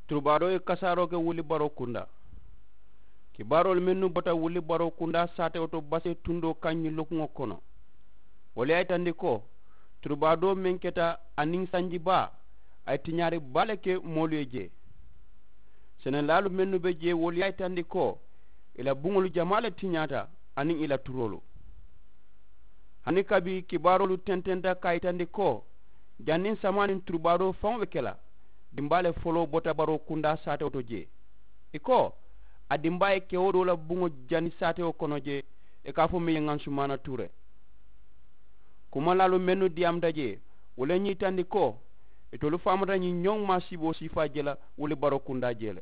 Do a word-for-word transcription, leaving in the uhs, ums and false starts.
Turubaadoo ye kasaaroo ke wuli baroo kundaa. Kibaaroolu mennu bota wuli baroo kundaa saatewo to basee tundoo kaŋ ñiŋ lokuŋo kono, wolu ye a yitandi ko turubaadoo meŋ keta aniŋ sanji baa, a ye tiñaari baa le ke moolu ye jee. Senelaalu mennu be jee wolu ye a yitandi ko ì la buŋolu jamaa le tiñaata aniŋ ì la turoolu. Hani kabi kibaaroolu tententa ka a yitandi ko janniŋ samaa niŋ turubaadoo faŋo be ke la, dimbaa le foloo bota baroo kundaa saatewo to jee. Ì ko a dimbaa ye kewo doo la buŋo jani saatewo kono jee, ì ka a fo meŋ ye ŋansumaana tuure. Kumalaalu mennu diyaamuta jee, wo le ñiŋ yitandi ko itolu faamata ñiŋ ñoŋ maasiiboo siifaa je la wuli baroo kundaa jee le.